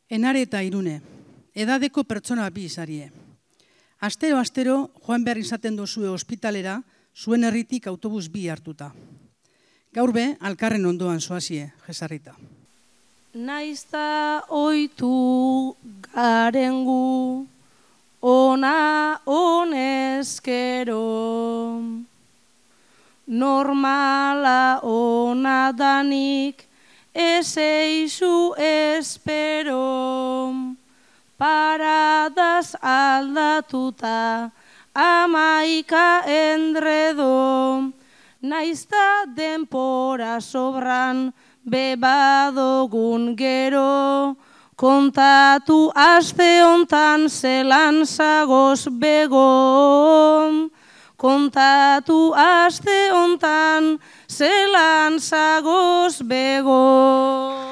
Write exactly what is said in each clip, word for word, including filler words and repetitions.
Enare eta Irune, edadeko pertsona bi izarie. Astero-astero joan behar izaten dozue ospitalera, zuen herritik autobus bi hartuta. Gaur be, alkarren ondoan zoazie, jesarrita. Naizta oitu garengu, ona honezkero. Normala ona danik, ezeizu espero. Paradaz aldatuta, amaika endredo. Naizta denpora sobran, bebadogun gero. Kontatu aste hontan zelan zagoz bego. Kontatu aste hontan zelan zagoz bego.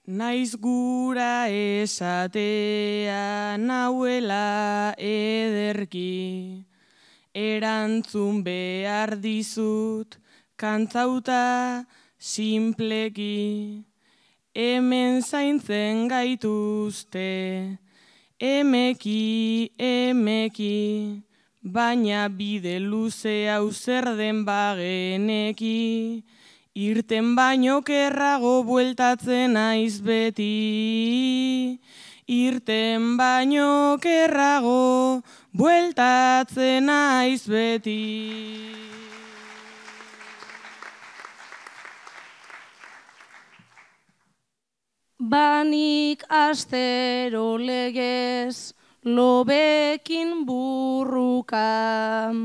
Naiz gura esatea nauela ederki, erantzun behar dizut kantzauta simpleki. Hemen zaintzen gaituzte, emeki, emeki, baina bide luze hau zer den bageneki. Irten baino kerrago bueltatzen naiz beti. Irten baino kerrago bueltatzen naiz beti. Banik astero legez lobekin burruka.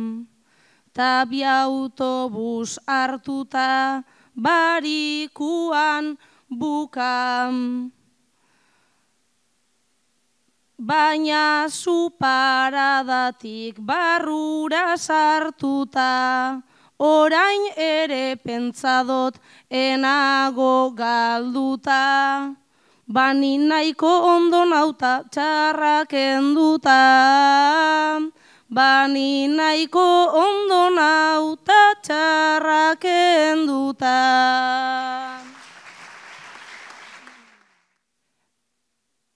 Ta bi autobus hartuta barikuan bukam. Baina zu paradatik barrura sartuta, orain ere pentzadot enago galduta. Bani nahiko ondo nauta txarrak enduta. Bani nahiko ondo nauta txarrak enduta.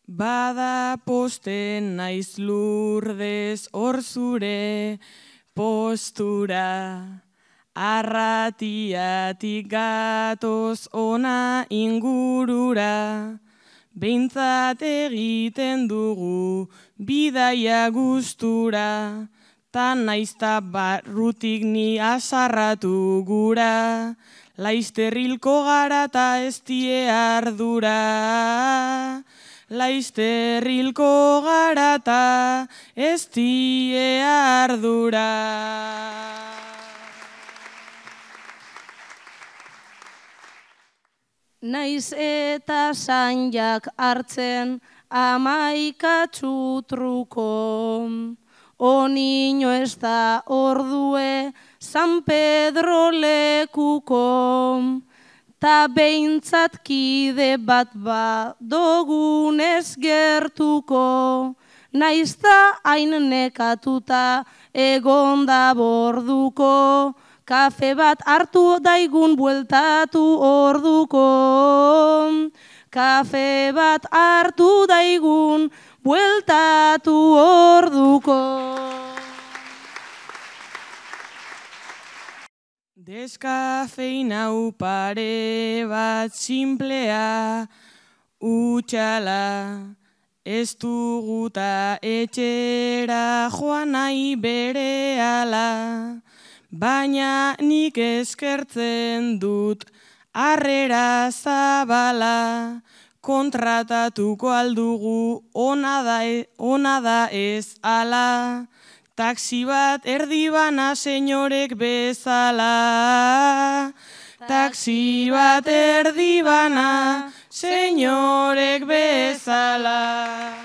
Bada posten naiz Lurdez hor zure postura. Arratiatik gatoz ona ingurura. Behintzat egiten dugu bidaia gustura, ta naizta barrutik ni asarratu gura, laizter hilko gara ta ez die ardura. Laizter hilko gara ta ez die ardura. Naiz eta zainjak hartzen amaika txutruko. Onino ez da ordue San Pedro lekuko. Ta behintzat kide bat badogunez gertuko. Naiz da hain nekatuta egonda borduko. Kafe bat hartu daigun bueltatu orduko. Kafe bat hartu daigun bueltatu orduko. Deskafeinau pare bat simplea utxala. Ez duguta etxera joan nahi berehala. Baina nik eskertzen dut harrera zabala, kontratatuko aldugu ona da, ona da ez ala. Taxi bat erdibana senyorek bezala. Taxi bat erdibana senyorek bezala.